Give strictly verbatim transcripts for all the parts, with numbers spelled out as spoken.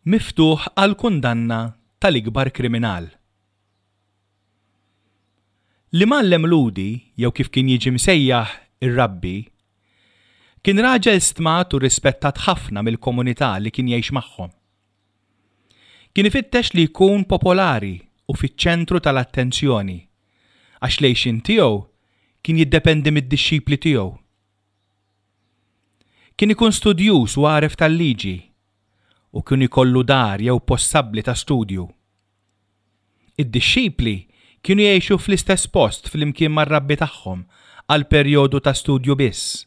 Miftuħ għall-kundanna tal-ikbar kriminal. L-imgħallem Lhudi, jew kif kien jiġi msejjaħ ir-rabbi, kien raġel stmat u rispettat ħafna mill-komunità li kien jgħix magħhom. Kien ifittex li jkun popolari u fiċ-ċentru tal-attenzjoni, għax l-għixien tiegħu kien jiddependi mid-dixxipli tiegħu. Kien ikun studjuż u għaref tal-liġi u kien ikollu dar jew post ta' studju. Id-dixxipli kienu jgħixu fl-istess post flimkien mar-rabbi tagħhom għal perjodu ta' studju biss.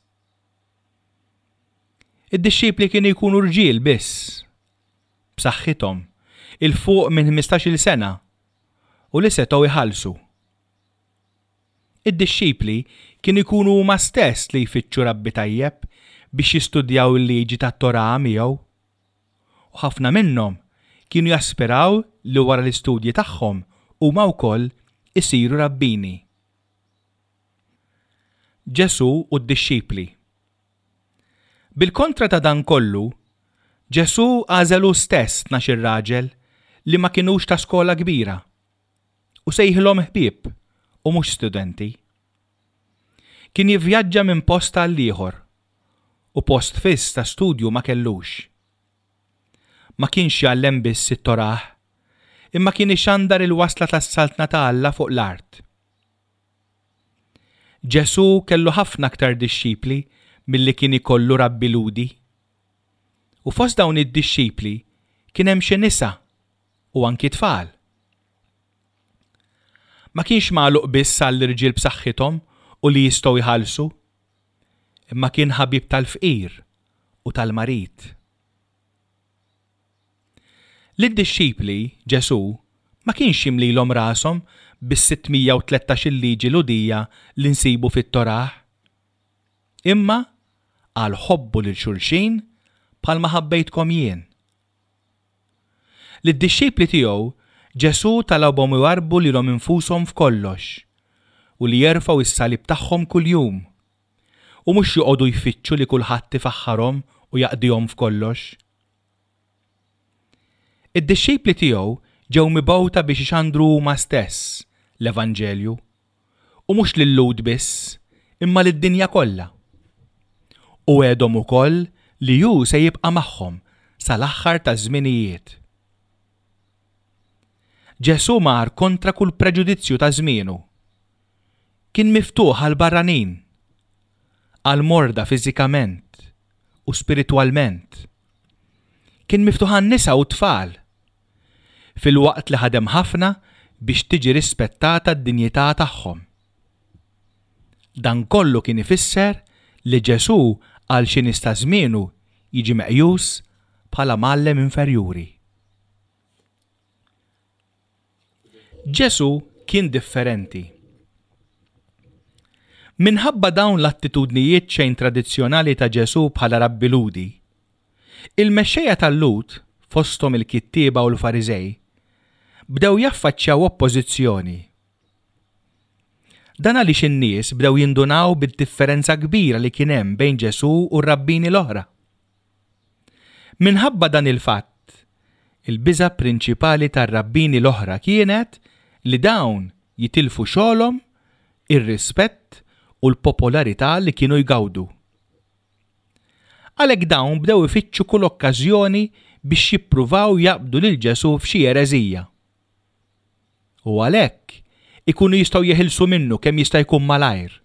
Id-dixxipli kienu jkunu rġiel biss, b'saħħithom, 'il fuq minn ħmistax-il sena u li setgħu jħallsu. Id-dixxipli kienu jkunu huma stess li jfittxu rabbi tajjeb biex jistudjaw il-liġi tat-Torah miegħu. U ħafna minnhom kienu jaspiraw li wara l-istudji tagħhom huma wkoll isiru rabbini. Ġesù u d-dixxipli. Bil-kontra ta' dan kollu, Ġesù għażel hu stess tnax-il raġel li ma kinux ta' skola kbira u sejħilhom ħbieb u mhux studenti. Kien jivvjaġġa minn post għal ieħor u post fiss ta' studju ma kellux. Ma kienx jgħallem biss it-Torah, imma kien ixandar il-wasla tas-saltna ta' Alla fuq l-art. Ġesù kellu ħafna aktar dixxipli milli kien ikollu rabbi Lhudi. U fost dawn id-dixxipli kien hemm xi nisa u anki tfal. Ma kienx magħluq biss għall-irġiel b'saħħithom u li jistgħu jħallsu, imma kien ħabib tal-fqir u tal-marid. Lid-dixxipli Ġesù ma kienx jimlilhom rashom bis-sitt mija u tlettax-il liġi Lhudija li nsibu fit-Torah. Imma qal ħobbu lil xulxin bħalma ħabbejtkom jien. Lid-dixxipli tiegħu Ġesù talabhom iwarrbu lilhom infushom f'kollox u li jerfgħu s-salib tagħhom kuljum u mhux joqogħdu jfittxu li kulħadd ifaħħarhom u jaqdihom f'kollox. Id-dixxipli tiegħu ġew mibgħuta biex ixandru huma stess l-Evanġelju u mhux lil-Lhud biss, imma lid-dinja kollha. U għedhom ukoll li hu se jibqa' magħhom sal-aħħar taż-żminijiet. Ġesù mar kontra kull preġudizzju ta' żmienu. Kien miftuħ għal barranin, għal morda fiżikament u spiritwalment. Kien miftuħ għan-nisa u tfal, filwaqt li ħadem ħafna biex tiġi rispettata d-dinjità tagħhom. Dan kollu kien ifisser li Ġesù għal xi nies ta' żmienu jiġi meqjus bħala mgħallem inferjuri. Ġesù kien differenti. Minħabba dawn l-attitudnijiet xejn tradizzjonali ta' Ġesù bħala rabbi Lhudi, il-mexxejja tal-Lhud, fosthom il-kittieba u l-Fariżej, bdew jaffaċċjaw oppożizzjoni. Dan għaliex in-nies bdew jindunaw bid-differenza kbira li kien hemm bejn Ġesù u r-rabbini l-oħra. Minħabba dan il-fatt, il-biża' prinċipali tar-rabbini l-oħra kienet li dawn jitilfu xogħolhom, ir-rispett u l-popolarità li kienu jgawdu. Għalhekk dawn bdew ifittxu kull okkażjoni biex jippruvaw jaqbdu lil Ġesù f'xi ereżija. U għalhekk ikunu jistgħu jeħilsu minnu kemm jista' jkun malajr.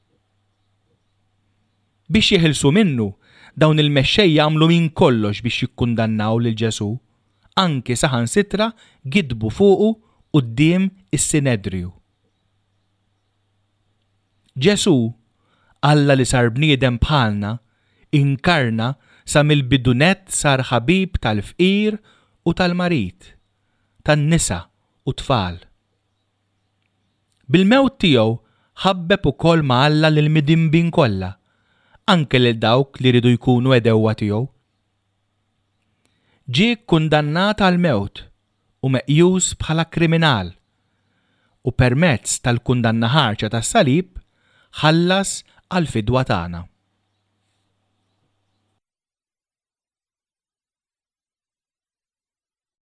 Biex jeħilsu minnu, dawn il-mexxejja għamlu minn kollox biex jikkundannaw lil Ġesù, anki saħansitra gidbu fuqu quddiem is-Sinedriju. Ġesù, Alla li sar bniedem bħalna, inkarna sa mill-bidu nett sar ħabib tal-fqir u tal-marid, tan-nisa u tfal. Bil-mewt tiegħu ħabbeb ukoll ma' Alla lil midinbin kollha, anke lil dawk li riedu jkunu għedewwa tiegħu. Ġie kkundannat għall-mewt u meqjus bħala kriminal, u permezz tal-kundanna ħarxa tas-salib ħallas għall-fidwa tagħna.